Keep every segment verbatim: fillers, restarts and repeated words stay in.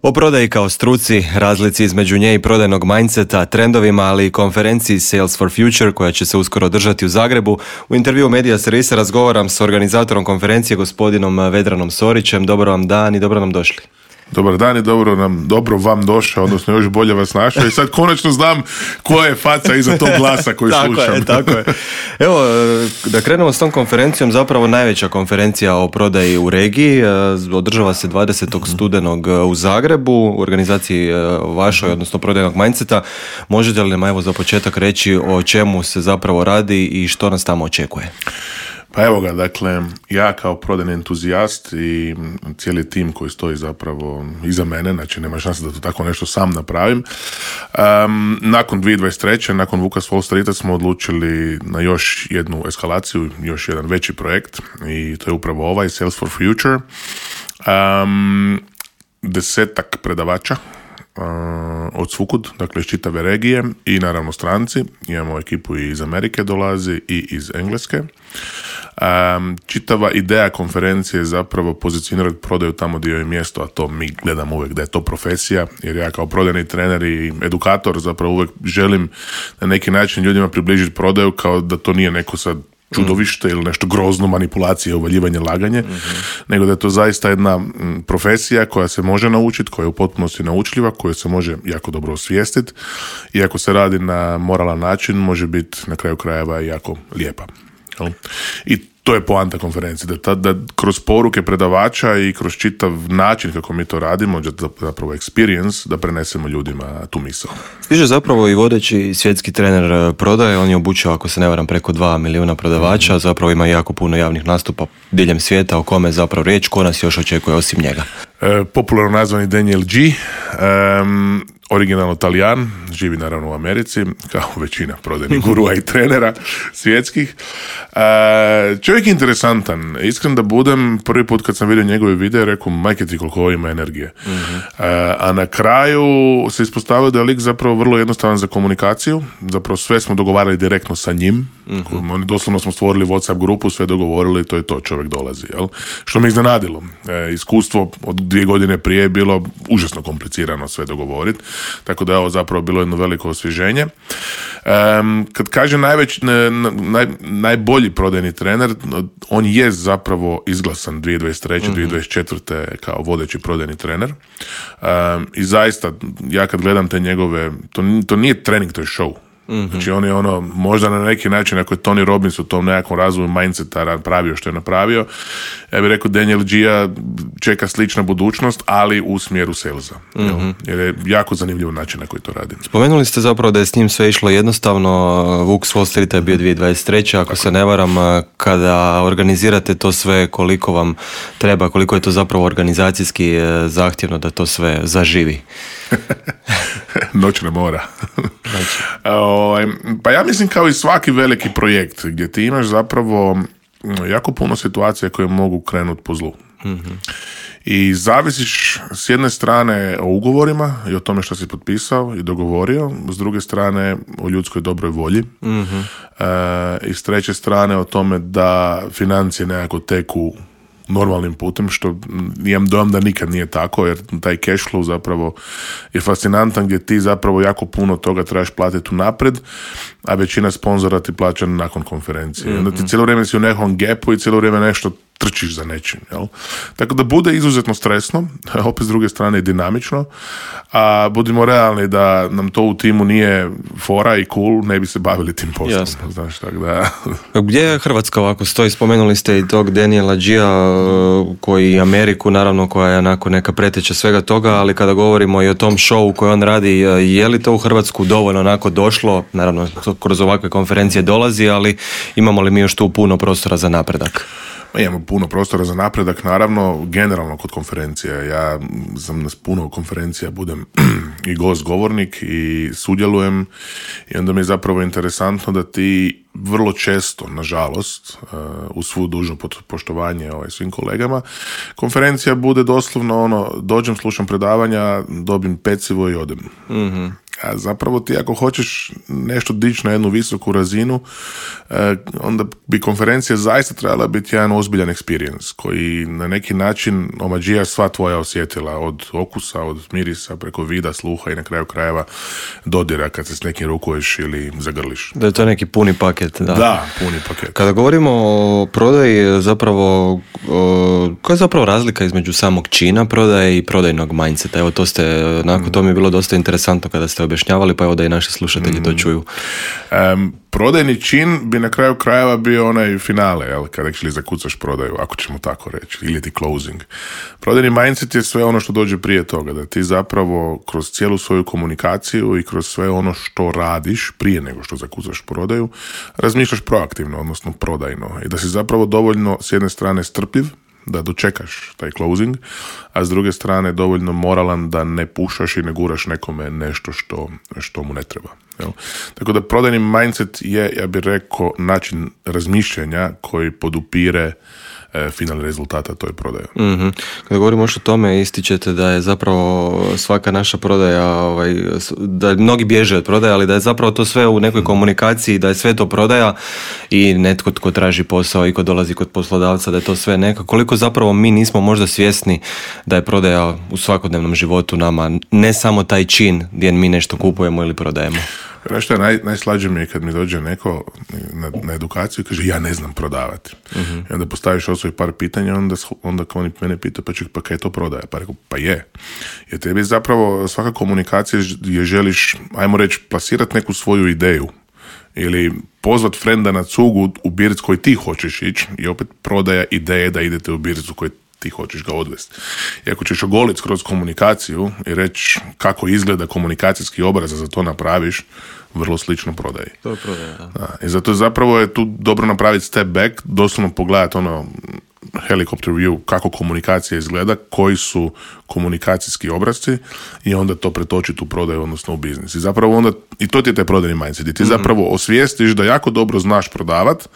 O prodaji kao struci, razlici između nje i prodajnog mindseta, trendovima, ali i konferenciji Sales for Future koja će se uskoro održati u Zagrebu, u intervju Media Servisa razgovaram s organizatorom konferencije gospodinom Vedranom Sorićem. Dobar vam dan i dobro nam došli. Dobar dan i dobro nam, dobro vam došao, odnosno još bolje vas našao i sad konačno znam koja je faca iza tog glasa koji tako slušam. Je, tako je. Evo, da krenemo s tom konferencijom, zapravo najveća konferencija o prodaji u regiji, održava se dvadesetog studenog u Zagrebu, u organizaciji vašoj, odnosno prodajnog mindseta. Možete li nam evo za početak reći o čemu se zapravo radi i što nas tamo očekuje? Pa evo ga, dakle, ja kao prodajni entuzijast i cijeli tim koji stoji zapravo iza mene, znači nema šanse da to tako nešto sam napravim. Um, nakon dvije tisuće dvadeset treće. nakon Vuka s Wall Streeta smo odlučili na još jednu eskalaciju, još jedan veći projekt i to je upravo ovaj, Sales for Future. Um, desetak predavača Uh, od svukud, dakle iz čitave regije i naravno stranci. Imamo ekipu i iz Amerike dolazi i iz Engleske. Um, čitava ideja konferencije je zapravo pozicionirati prodaju tamo gdje je mjesto, a to mi gledamo uvijek da je to profesija, jer ja kao prodajni trener i edukator zapravo uvijek želim na neki način ljudima približiti prodaju kao da to nije neko sad čudovište ili nešto grozno, manipulacije, uvaljivanje, laganje, mm-hmm. nego da je to zaista jedna profesija koja se može naučiti, koja je u potpunosti naučljiva, koju se može jako dobro osvijestiti i ako se radi na moralan način, može biti na kraju krajeva jako lijepa. I to je poanta konferencije, da, ta, da kroz poruke predavača i kroz čitav način kako mi to radimo, zapravo experience, da prenesemo ljudima tu misao. Stiže zapravo i vodeći svjetski trener prodaje, on je obučio, ako se ne varam, preko dva milijuna prodavača, mm-hmm. zapravo ima jako puno javnih nastupa diljem svijeta, o kome je zapravo riječ, ko nas još očekuje osim njega? E, popularno nazvani Daniel G. Um, originalno Talijan, živi naravno u Americi, kao većina prodajnih gurua i trenera svjetskih. E, čovjek je interesantan. Iskren da budem, prvi put kad sam vidio njegove videe, rekao, majke ti koliko ovo ima energije. Mm-hmm. E, a na kraju se ispostavio da je lik zapravo vrlo jednostavan za komunikaciju. Zapravo sve smo dogovarali direktno sa njim. Mm-hmm. Oni doslovno smo stvorili WhatsApp grupu, sve dogovorili, to je to, čovjek dolazi. Jel? Što me iznenadilo. E, iskustvo od dvije godine prije je bilo užasno komplicirano sve dogovoriti. Tako da je ovo zapravo bilo jedno veliko osvježenje. Um, kad kaže najveć, naj, najbolji prodajni trener, on je zapravo izglasan dvije tisuće dvadeset treće. Mm-hmm. dvije tisuće dvadeset četvrte kao vodeći prodajni trener. Um, I zaista, ja kad gledam te njegove, to, to nije trening, to je show. Mm-hmm. Znači on je ono, možda na neki način, ako je Tony Robbins u tom nekakvom razvoju mindseta napravio što je napravio, ja bih rekao Daniel G-a čeka slična budućnost, ali u smjeru salesa. Mm-hmm. Jer je jako zanimljiv način na koji to radi. Spomenuli ste zapravo da je s njim sve išlo jednostavno. Vuk s Wall Streeta je bio dvije tisuće dvadeset treće. Ako Tako. se ne varam, kada organizirate to sve, koliko vam treba, koliko je to zapravo organizacijski zahtjevno da to sve zaživi? Noćna mora. Znači. Pa ja mislim kao i svaki veliki projekt gdje ti imaš zapravo jako puno situacija koje mogu krenuti po zlu. Mm-hmm. I zavisiš s jedne strane o ugovorima i o tome što si potpisao i dogovorio, s druge strane o ljudskoj dobroj volji, mm-hmm. e, i s treće strane o tome da financije nekako teku normalnim putem, što imam dojam da nikad nije tako, jer taj cash flow zapravo je fascinantan gdje ti zapravo jako puno toga trebaš platiti unaprijed, a većina sponzora ti plaća nakon konferencije. Mm-hmm. Onda ti cijelo vrijeme si u nekom gapu i cijelo vrijeme nešto trčiš za nečim. Jel? Tako da bude izuzetno stresno, opet s druge strane i dinamično, a budimo realni da nam to u timu nije fora i cool, ne bi se bavili tim poslom. Jasno. Znaš, tako da... Gdje je Hrvatska ovako stoji? Spomenuli ste i tog Daniela G-a koji Ameriku, naravno, koja je onako neka preteča svega toga, ali kada govorimo i o tom showu koji on radi, je li to u Hrvatsku dovoljno onako došlo? Naravno, kroz ovakve konferencije dolazi, ali imamo li mi još tu puno prostora za napredak? Imamo puno prostora za napredak, naravno, generalno kod konferencije. Ja sam na puno konferencija, budem i gost govornik i sudjelujem i onda mi je zapravo interesantno da ti vrlo često, nažalost, uz svu dužno poštovanje ovaj, svim kolegama, konferencija bude doslovno ono, dođem, slušam predavanja, dobim pecivo i odem. Mm-hmm. A zapravo ti ako hoćeš nešto dići na jednu visoku razinu, onda bi konferencija zaista trebala biti jedan ozbiljan experience koji na neki način omađija sva tvoja osjetila, od okusa, od mirisa, preko vida, sluha i na kraju krajeva dodira kad se s nekim rukuješ ili zagrliš. Da je to neki puni paket. Da, da puni paket. Kada govorimo o prodaji, zapravo, koja je zapravo razlika između samog čina prodaje i prodajnog mindseta? Evo to ste, nakon to mi je bilo dosta interesantno kada ste objašnjavali, pa evo da i naši slušatelji to čuju. Um, prodajni čin bi na kraju krajeva bio onaj finale, jel, kada actually zakucaš prodaju, ako ćemo tako reći, ili ti closing. Prodajni mindset je sve ono što dođe prije toga, da ti zapravo kroz cijelu svoju komunikaciju i kroz sve ono što radiš prije nego što zakucaš prodaju, razmišljaš proaktivno, odnosno prodajno, i da si zapravo dovoljno s jedne strane strpljiv, da dočekaš taj closing, a s druge strane dovoljno moralan da ne pušaš i ne guraš nekome nešto što, što mu ne treba. Jel? Tako da prodajni mindset je, ja bih rekao, način razmišljanja koji podupire e, finalni rezultata toj prodaje. Mm-hmm. Kada govorimo još o tome, ističete da je zapravo svaka naša prodaja, ovaj, da mnogi bježe od prodaje, ali da je zapravo to sve u nekoj komunikaciji, da je sve to prodaja i netko tko traži posao i ko dolazi kod poslodavca, da je to sve neka. Koliko zapravo mi nismo možda svjesni da je prodaja u svakodnevnom životu nama, ne samo taj čin gdje mi nešto kupujemo ili prodajemo. Nešto je naj, najslađe mi je kad mi dođe neko na, na edukaciju i kaže ja ne znam prodavati. Uh-huh. I onda postaviš osvoji par pitanja, onda, onda kao oni mene pita pa ček, pa kaj to prodaje? Pa rekao, pa je. Jer tebi zapravo svaka komunikacija je želiš, ajmo reći, plasirati neku svoju ideju ili pozvat frenda na cugu u birc koji ti hoćeš ići i opet prodaja ideje da idete u bircu koji ti hoćeš ga odvesti. I ako ćeš ogoliti kroz komunikaciju i reći kako izgleda komunikacijski obraz za to napraviš, vrlo slično prodaji. To je prodaja, da. Da. I zato zapravo je tu dobro napraviti step back, doslovno pogledati ono helicopter view, kako komunikacija izgleda, koji su komunikacijski obrazci i onda to pretočiti u prodaju, odnosno u biznis. I zapravo onda, i to ti je taj prodajni mindset, i ti mm-hmm. zapravo osvijestiš da jako dobro znaš prodavat,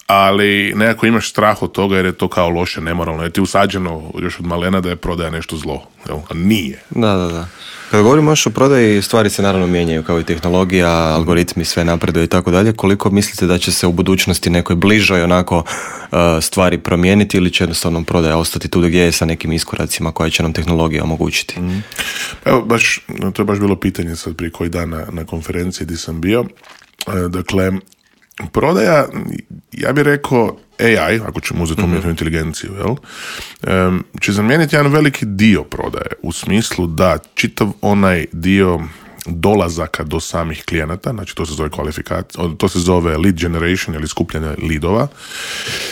ali nekako imaš strah od toga jer je to kao loše, nemoralno. Jer ti usađeno još od malena da je prodaja nešto zlo. Jel? A nije. Da, da, da. Kada govorimo još o prodaji, stvari se naravno mijenjaju kao i tehnologija, algoritmi, sve napreduje i tako dalje. Koliko mislite da će se u budućnosti nekoj bližoj onako uh, stvari promijeniti ili će jednostavno prodaja ostati tu gdje je sa nekim iskoracima koje će nam tehnologija omogućiti? Mm. Evo, baš, to je baš bilo pitanje sad prije koji dan na, na konferenciji gdje sam bio. E, dakle, prodaja, ja bih rekao A I, ako ćemo uzeti umjetnu mm-hmm. inteligenciju, jel, um, će zamijeniti jedan veliki dio prodaje, u smislu da čitav onaj dio dolazaka do samih klijenata, znači to se zove kvalifikacija, to se zove lead generation ili skupljanje lidova,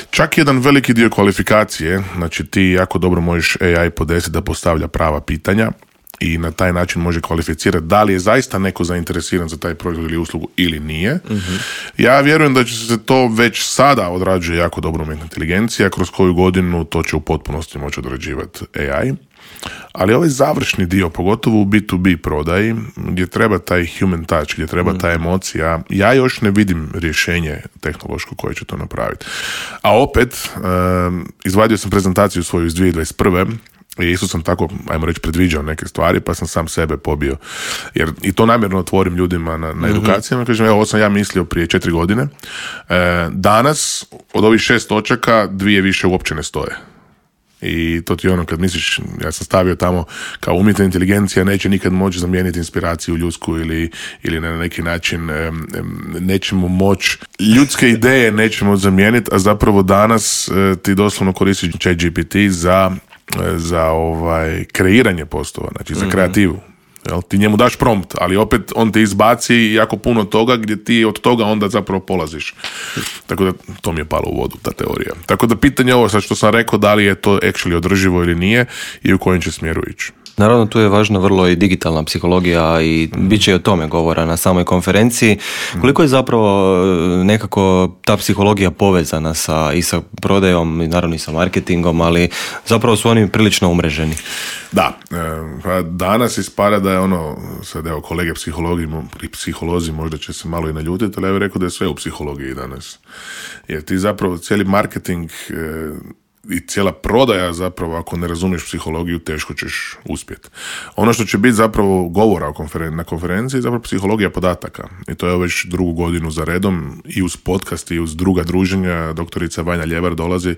čak jedan veliki dio kvalifikacije, znači ti jako dobro možeš A I podesiti da postavlja prava pitanja i na taj način može kvalificirati da li je zaista neko zainteresiran za taj proizvod ili uslugu ili nije. Mm-hmm. Ja vjerujem da će se to već sada odrađuje jako dobro umjetna inteligencija, kroz koju godinu to će u potpunosti moći odrađivati A I. Ali ovaj završni dio, pogotovo u B to B prodaji, gdje treba taj human touch, gdje treba mm. ta emocija, ja još ne vidim rješenje tehnološko koje će to napraviti. A opet, um, izvadio sam prezentaciju svoju iz dvije tisuće dvadeset prve i isto sam tako, ajmo reći, predviđao neke stvari, pa sam sam sebe pobio. Jer i to namjerno otvorim ljudima na, na edukacijama, kažem, evo, ovo sam ja mislio prije četiri godine. E, danas, od ovih šest točaka, dvije više uopće ne stoje. I to ti ono kad misliš, ja sam stavio tamo kao umjetna inteligencija neće nikad moći zamijeniti inspiraciju ljudsku ili, ili na neki način um, nećemo moći, ljudske ideje nećemo zamijeniti, a zapravo danas uh, ti doslovno koristiš Chat G P T za, uh, za ovaj, kreiranje postova, znači za kreativu. Jel? Ti njemu daš prompt, ali opet on te izbaci jako puno toga gdje ti od toga onda zapravo polaziš. Tako da to mi je palo u vodu, ta teorija. Tako da pitanje ovo sad što sam rekao, da li je to actually održivo ili nije i u kojem će smjeru ići. Naravno, tu je važna vrlo i digitalna psihologija i mm. bit će i o tome govora na samoj konferenciji. Koliko je zapravo nekako ta psihologija povezana sa, i sa prodajom i naravno i sa marketingom, ali zapravo su oni prilično umreženi. Da, pa danas ispada da je ono, sad evo kolege psihologi, psiholozi možda će se malo i naljutiti, ali ja bih rekao da je sve u psihologiji danas. Jer ti zapravo cijeli marketing i cijela prodaja zapravo, ako ne razumiješ psihologiju, teško ćeš uspjeti. Ono što će biti zapravo govora o konferen- na konferenciji je zapravo psihologija podataka. I to je već drugu godinu za redom i uz podcast i uz druga druženja. Doktorica Vanja Ljevar dolazi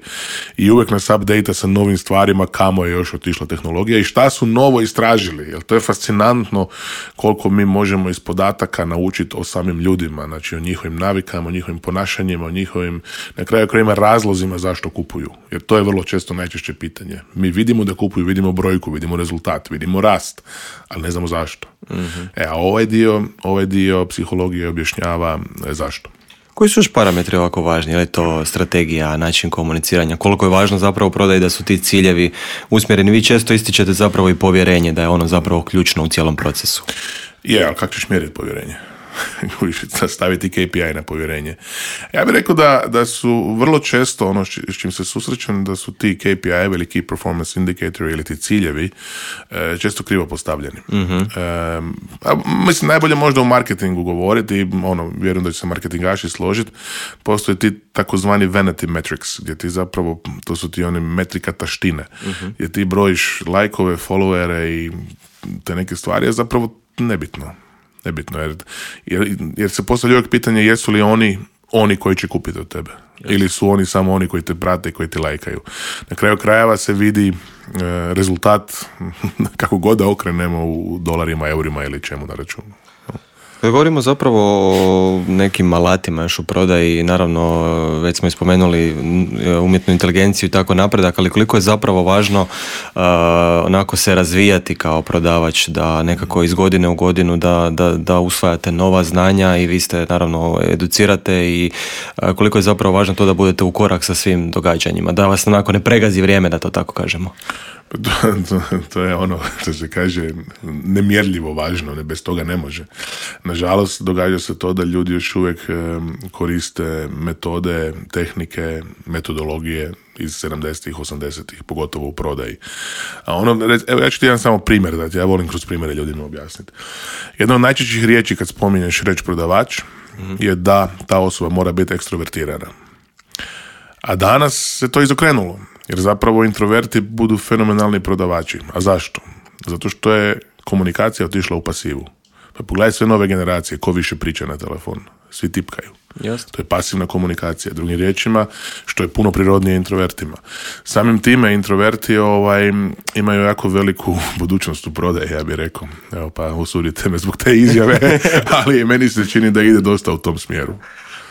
i uvijek nas update sa novim stvarima, kamo je još otišla tehnologija i šta su novo istražili. Jer to je fascinantno koliko mi možemo iz podataka naučiti o samim ljudima, znači o njihovim navikama, o njihovim ponašanjima, o njihovim, na kraju krajeva, razlozima zašto kupuju. Jer to je vrlo često najčešće pitanje. Mi vidimo da kupuju, vidimo brojku, vidimo rezultat, vidimo rast, ali ne znamo zašto. Mm-hmm. E, a ovaj dio, ovaj dio psihologije objašnjava zašto. Koji su još parametri ovako važni? Je li to strategija, način komuniciranja? Koliko je važno zapravo u prodaji da su ti ciljevi usmjereni? Vi često ističete zapravo i povjerenje, da je ono zapravo ključno u cijelom procesu. Je, ali kako ćeš mjeriti povjerenje? Staviti K P I na povjerenje. Ja bih rekao da, da su vrlo često ono s čim se susrećem, da su ti K P I ili Key Performance Indicator ili ti ciljevi e, često krivo postavljeni. Mm-hmm. E, a, mislim, najbolje možda u marketingu govoriti, ono, vjerujem da će se marketingaši složiti, postoje ti takozvani vanity metrics, gdje ti zapravo, to su ti one metrika taštine, mm-hmm. gdje ti brojiš lajkove, followere i te neke stvari, je zapravo nebitno. Nebitno, jer, jer, jer se postavlja uvijek pitanje jesu li oni oni koji će kupiti od tebe. Yes. Ili su oni samo oni koji te prate i koji te lajkaju. Na kraju krajeva se vidi e, rezultat kako god da okrenemo u dolarima, eurima ili čemu na računu. Kad govorimo zapravo o nekim alatima još u prodaji, naravno već smo ispomenuli umjetnu inteligenciju i tako napredak, ali koliko je zapravo važno uh, onako se razvijati kao prodavač, da nekako iz godine u godinu da, da, da usvajate nova znanja i vi ste naravno educirate i uh, koliko je zapravo važno to da budete u korak sa svim događanjima, da vas onako ne pregazi vrijeme, da to tako kažemo. To, to, to je ono što se kaže nemjerljivo važno, ne, bez toga ne može. Nažalost, događa se to da ljudi još uvijek um, koriste metode, tehnike, metodologije iz sedamdesetih, osamdesetih, pogotovo u prodaji. A ono, evo ja ću ti jedan samo primjer dati, ja volim kroz primjere ljudima objasniti. Jedna od najčešćih riječi kad spominješ riječ prodavač mm-hmm. je da ta osoba mora biti ekstrovertirana. A danas se to izokrenulo. Jer zapravo introverti budu fenomenalni prodavači. A zašto? Zato što je komunikacija otišla u pasivu. Pa pogledaj sve nove generacije, ko više priča na telefon. Svi tipkaju. Just. To je pasivna komunikacija. Drugim riječima, što je puno prirodnije introvertima. Samim time introverti ovaj, imaju jako veliku budućnost u prodaji, ja bih rekao. Evo pa usudite me zbog te izjave, ali meni se čini da ide dosta u tom smjeru.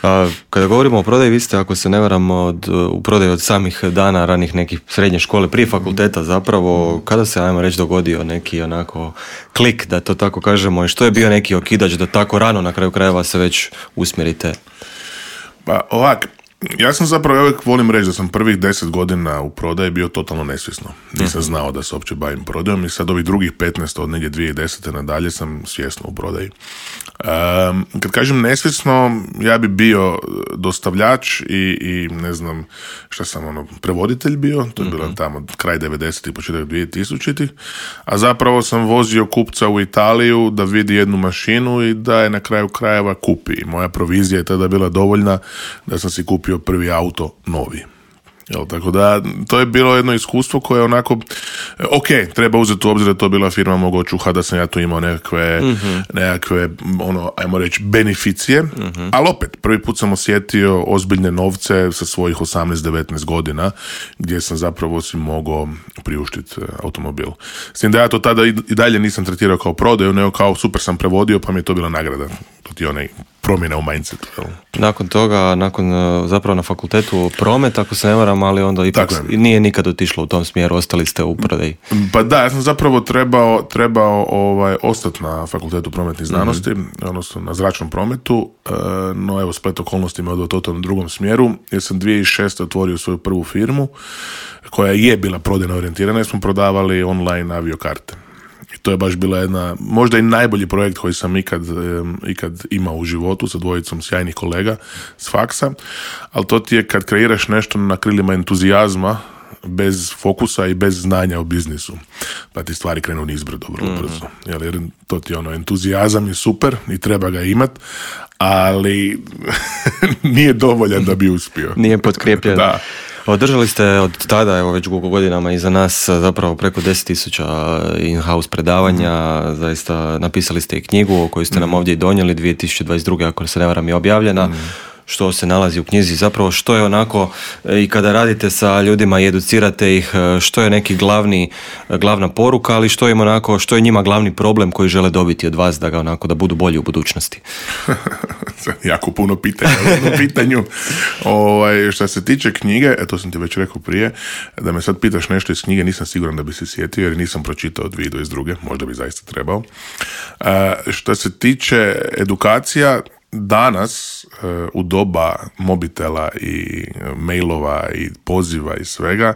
A, kada govorimo o prodaji, vi ste, ako se ne varam, od, u prodaji od samih dana ranih nekih srednje škole, prije fakulteta zapravo, kada se, ajmo reći, dogodio neki onako klik, da to tako kažemo, i što je bio neki okidač da tako rano na kraju krajeva se već usmjerite? Pa ovak, ja sam zapravo, ja uvijek volim reći da sam prvih deset godina u prodaji bio totalno nesvjesno. Nisam mm-hmm. znao da se uopće bavim prodajom i sad ovih drugih petnaest od negdje dvije tisuće desete nadalje sam svjesno u prodaji. Um, kad kažem nesvjesno, ja bi bio dostavljač i, i ne znam šta sam ono, prevoditelj bio, to je bilo mm-hmm. tamo kraj devedesetih, početak dvije tisućitih, a zapravo sam vozio kupca u Italiju da vidi jednu mašinu i da je na kraju krajeva kupi. I moja provizija je tada bila dovoljna da sam si kupio prvi auto novi. Jel, tako da to je bilo jedno iskustvo koje je onako ok, treba uzeti u obzir da to bila firma mogo čuha, da sam ja tu imao nekakve, mm-hmm. nekakve ono, ajmo reći, beneficije, mm-hmm. ali opet, prvi put sam osjetio ozbiljne novce sa svojih osamnaest devetnaest godina, gdje sam zapravo si mogao priuštiti automobil. S tim da ja to tada i dalje nisam tretirao kao prodaju, nego kao super sam prevodio, pa mi je to bila nagrada. To ti onaj promjena u mindsetu. Jel? Nakon toga, nakon zapravo na fakultetu promet, ako se ne varam, ali onda ipak nije nikad otišlo u tom smjeru, ostali ste u prodaji. Pa da, ja sam zapravo trebao, trebao ovaj, ostati na fakultetu prometnih znanosti, mm-hmm. odnosno na zračnom prometu, no evo splet okolnosti me odveo totalno drugom smjeru, jer sam dvije tisuće šeste otvorio svoju prvu firmu, koja je bila prodajno orijentirana, jer smo prodavali online aviokarte. I to je baš bila jedna, možda i najbolji projekt koji sam ikad, ikad imao u životu sa dvojicom sjajnih kolega s faksa, ali to ti je kad kreiraš nešto na krilima entuzijazma, bez fokusa i bez znanja o biznisu. Pa ti stvari krenu nizbrdo vrlo mm-hmm. brzo. Jer to ti ono, entuzijazam je super i treba ga imat, ali nije dovoljan da bi uspio. Nije potkrijepljen. Da. Održali ste od tada, evo već dugo godinama iza nas, zapravo preko deset tisuća in-house predavanja, mm. zaista napisali ste i knjigu koju ste mm. nam ovdje i donijeli, dvije tisuće dvadeset druge ako se ne varam je objavljena. Mm. Što se nalazi u knjizi, zapravo što je onako i kada radite sa ljudima i educirate ih, što je neki glavni, glavna poruka, ali što je onako, što je njima glavni problem koji žele dobiti od vas da ga onako da budu bolji u budućnosti? Jako puno pitanja u jednom pitanju. Ovaj, što se tiče knjige, to sam ti već rekao prije, da me sad pitaš nešto iz knjige, nisam siguran da bi se sjetio jer nisam pročitao dvije tisuće dvadeset druge, možda bi zaista trebao. Uh, što se tiče edukacija, danas u doba mobitela i mailova i poziva i svega,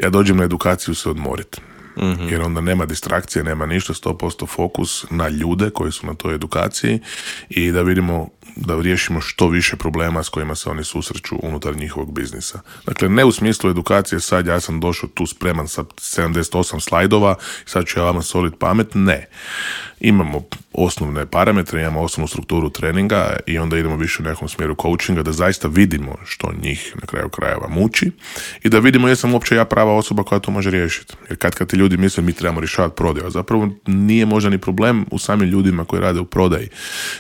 ja dođem na edukaciju se odmoriti. Mm-hmm. Jer onda nema distrakcije, nema ništa, sto posto fokus na ljude koji su na toj edukaciji i da vidimo, da riješimo što više problema s kojima se oni susreću unutar njihovog biznisa. Dakle, ne u smislu edukacije, sad ja sam došao tu spreman sa sedamdeset osam slajdova i sad ću ja vama solit pamet, ne. Imamo osnovne parametre, imamo osnovnu strukturu treninga i onda idemo više u nekom smjeru coachinga da zaista vidimo što njih na kraju krajeva muči i da vidimo jesam uopće ja prava osoba koja to može riješiti. Jer kad kad ti ljudi misle mi trebamo rješavati prodaju, a zapravo nije možda ni problem u samim ljudima koji rade u prodaji,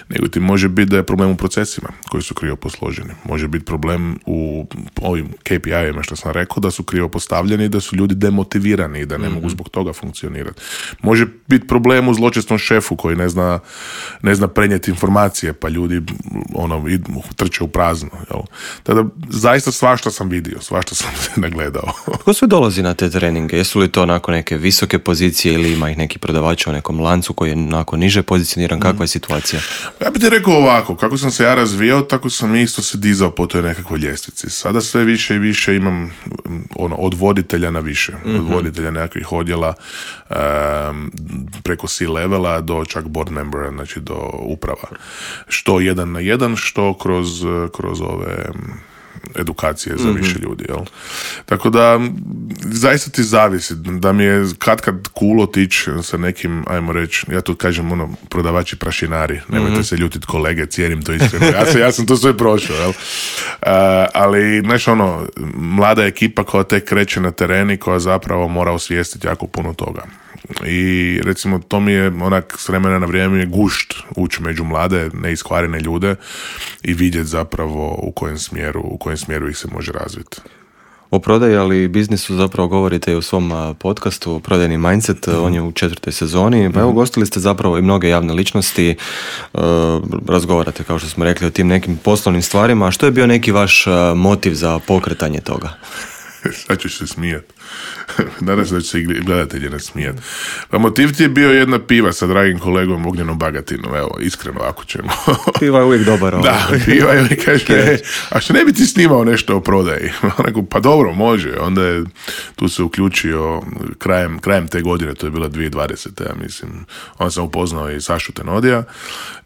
nego ti može biti da je problem u procesima koji su krivo posloženi. Može biti problem u ovim K P I-ima što sam rekao, da su krivo postavljeni i da su ljudi demotivirani i da ne mm-hmm. mogu zbog toga funkcionirati. Može biti problem u zločestom šefu koji ne zna, ne zna prenijeti informacije, pa ljudi ono, trče u prazno. Jel? Tada zaista svašta sam vidio, svašta sam se nagledao. Tko sve dolazi na te treninge? Jesu li to onako neke visoke pozicije ili ima ih neki prodavači u nekom lancu koji je onako niže pozicioniran? Kakva je situacija? Ja bih ti rekao ovako, kako sam se ja razvijao, tako sam isto se dizao po toj nekakvoj ljestvici. Sada sve više i više imam ono, od voditelja na više. Mm-hmm. Od voditelja nekakvih odjela um, preko C-levela do čak board membera, znači do uprava. Što jedan na jedan, što kroz, kroz ove edukacije za više mm-hmm. ljudi, jel? Tako da zaista ti zavisi, da mi je kad kad cool otići sa nekim, ajmo reći, ja tu kažem ono, prodavači prašinari, nemojte mm-hmm. se ljutiti kolege, cijenim to iskreno, ja, sam, ja sam to sve prošao, jel? Uh, ali, znaš ono, mlada ekipa koja tek kreće na tereni, koja zapravo mora osvijestiti jako puno toga. I recimo to mi je onak s vremena na vrijeme je gušt ući među mlade, neiskvarene ljude i vidjeti zapravo u kojem smjeru, u kojem smjeru ih se može razviti. O prodaji, ali i biznisu zapravo govorite i u svom podcastu Prodajni mindset, mm-hmm. on je u četvrtoj sezoni, pa evo gostili ste zapravo i mnoge javne ličnosti, uh, razgovarate kao što smo rekli o tim nekim poslovnim stvarima, a što je bio neki vaš motiv za pokretanje toga? Sad ćeš se smijati. Nadam se da će se i gledatelji nasmijati. Pa motiv ti je bio jedna piva sa dragim kolegom Ognjenom Bagatinom, evo, iskreno ako ćemo. Piva je uvijek dobar. Ovo. Da, piva je, on kaže, e, a što ne bi ti snimao nešto o prodaji? Pa dobro, može. Onda je tu se uključio krajem, krajem te godine, to je bila dvije tisuće dvadesete, ja mislim. Onda sam upoznao i Sašu Tenodija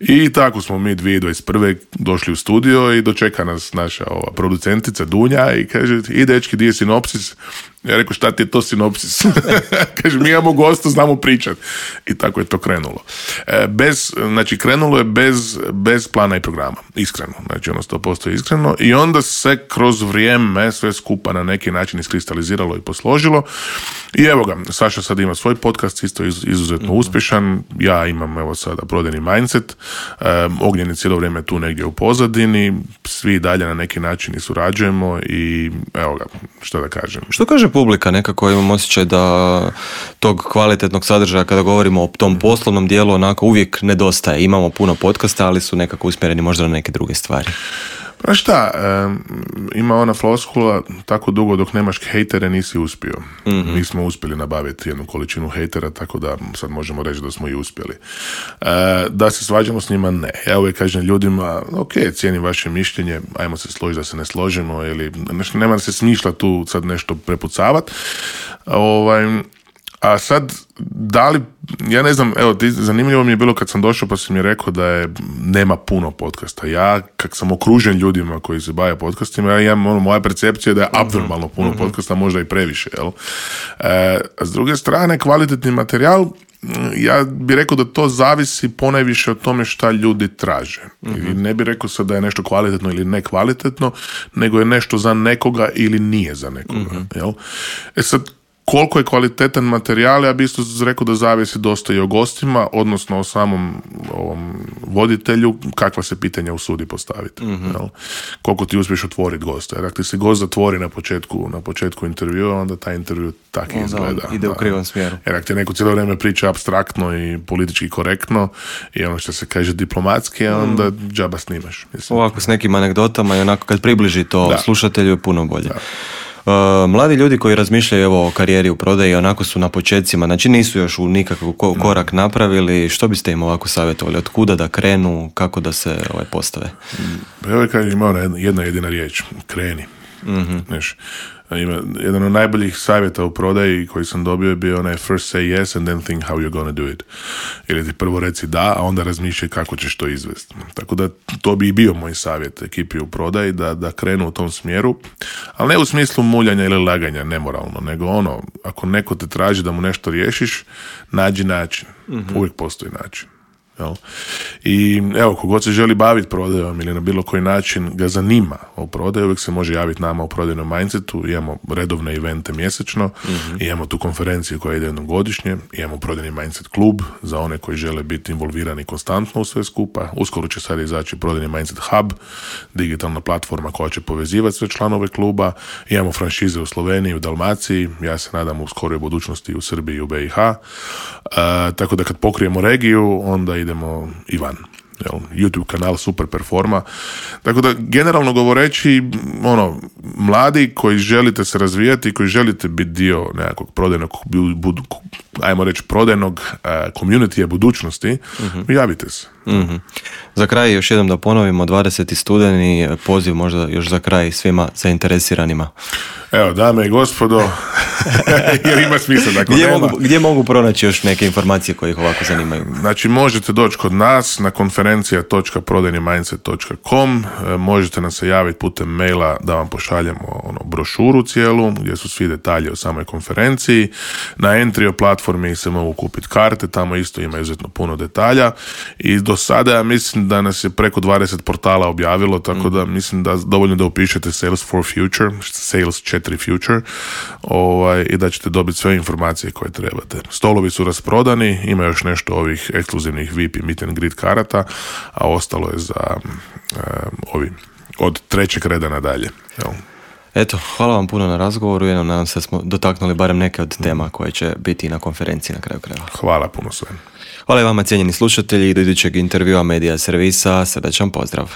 i tako smo mi dvije tisuće dvadeset prve došli u studio i dočeka nas naša ova producentica Dunja i kaže, i dečki, di je sinopsis? Ja rekao, šta ti je to sinopsis? Kaže, mi imamo gosta, znamo pričat. I tako je to krenulo. E, bez, znači, krenulo je bez, bez plana i programa. Iskreno. Znači, ono sto posto iskreno. I onda se kroz vrijeme sve skupa na neki način iskristaliziralo i posložilo. I evo ga, Saša sad ima svoj podcast, isto iz, izuzetno mm-hmm. uspješan. Ja imam, evo sada, Prodajni mindset. E, Ognjen je cijelo vrijeme tu negdje u pozadini. Svi dalje na neki način i surađujemo i evo ga, što da kažem. Što kaže publika? Nekako imam osjećaj da tog kvalitetnog sadržaja kada govorimo o tom poslovnom dijelu onako uvijek nedostaje. Imamo puno podcasta, ali su nekako usmjereni možda na neke druge stvari. Pa šta, e, ima ona floskula, tako dugo dok nemaš hejtere nisi uspio. Mm-hmm. Mi smo uspjeli nabaviti jednu količinu hejtera, tako da sad možemo reći da smo i uspjeli. E, da se svađamo s njima, ne. Ja uvijek kažem ljudima, ok, cijenim vaše mišljenje, ajmo se složiti da se ne složimo, ili nema da se smišlja tu sad nešto prepucavati. Ovaj... A sad, da li, ja ne znam, evo, ti, zanimljivo mi je bilo kad sam došao pa si mi rekao da je, nema puno podcasta. Ja, kak sam okružen ljudima koji se bave podcastima, ja imam, ono, moja percepcija je da je abnormalno puno mm-hmm. podcasta, možda i previše, jel? E, a s druge strane, kvalitetni materijal, ja bih rekao da to zavisi ponajviše od tome šta ljudi traže. Mm-hmm. I ne bih rekao sad da je nešto kvalitetno ili nekvalitetno, nego je nešto za nekoga ili nije za nekoga. Mm-hmm. Jel? E sad, koliko je kvalitetan materijal, ja bih isto rekao da zavisi dosta i o gostima, odnosno o samom ovom voditelju, kakva se pitanja usudi postaviti. Mm-hmm. Jel? Koliko ti uspiješ otvoriti gosta. Jer ako ti se gost zatvori na početku, na početku intervjua, onda taj intervju tako izgleda. Ide u krivom smjeru. Jer ako ti neko cijelo vrijeme priča apstraktno i politički korektno i ono što se kaže diplomatski, onda mm. džaba snimaš. Mislim. Ovako s nekim anegdotama i onako kad približi to da. slušatelju je puno bolje. Da. Uh, mladi ljudi koji razmišljaju evo, o karijeri u prodaji, onako su na počecima, znači nisu još u nikakav ko- korak napravili, što biste im ovako savjetovali? Od kuda da krenu, kako da se ovaj, postave? Evo je ima jedna, jedna jedina riječ, kreni. Mm-hmm. Znaš, ima, jedan od najboljih savjeta u prodaji koji sam dobio je bio onaj first say yes and then think how you're gonna do it. Ili ti prvo reci da, a onda razmišljaj kako ćeš to izvesti. Tako da to bi i bio moj savjet ekipi u prodaji, da, da krenu u tom smjeru, ali ne u smislu muljanja ili laganja, nemoralno, nego ono, ako neko te traži da mu nešto riješiš, nađi način. Mm-hmm. Uvijek postoji način. Jel? I evo, kogod se želi baviti prodajom ili na bilo koji način ga zanima o prodaju, uvijek se može javiti nama u prodajnom mindsetu. Imamo redovne evente mjesečno, mm-hmm. imamo tu konferenciju koja ide jednom godišnje, imamo prodajni mindset klub za one koji žele biti involvirani konstantno u sve skupa. Uskoro će sad izaći prodajni mindset hub, digitalna platforma koja će povezivati sve članove kluba. Imamo franšize u Sloveniji, u Dalmaciji, ja se nadam u skoroj budućnosti u Srbiji i u B i H. Uh, tako da kad pokrijemo regiju, onda idemo i van. Jel? YouTube kanal super performa. Tako da, generalno govoreći, ono, mladi koji želite se razvijati, koji želite biti dio nekakvog prodajnog, budu, ajmo reći, prodajnog uh, community budućnosti, mm-hmm. javite se. Mm-hmm. Za kraj još jednom da ponovimo, dvadeseti studeni, poziv možda još za kraj svima zainteresiranima. Evo, dame i gospodo, jer ima smisla. Dakle, gdje, mogu, gdje mogu pronaći još neke informacije koje ih ovako zanimaju? Znači, možete doći kod nas na konferencija dot prodajni mindset dot com, možete nam se javiti putem maila da vam pošaljemo ono, brošuru cijelu, gdje su svi detalji o samoj konferenciji. Na Entrio platformi se mogu kupiti karte, tamo isto ima izuzetno puno detalja i do sada ja mislim da nas je preko dvadeset portala objavilo, tako da mislim da dovoljno da upišete Sales for Future, Sales četiri Future, ovaj, i da ćete dobiti sve informacije koje trebate. Stolovi su rasprodani, ima još nešto ovih ekskluzivnih V I P i meet and greet karata, a ostalo je za um, ovi od trećeg reda nadalje. Jel? Eto, hvala vam puno na razgovoru, jednom nadam se da smo dotaknuli barem neke od tema koje će biti na konferenciji na kraju krajeva. Hvala puno sve. Hvala i vama cijenjeni slušatelji i do idućeg intervjua Medija servisa, srdačan pozdrav.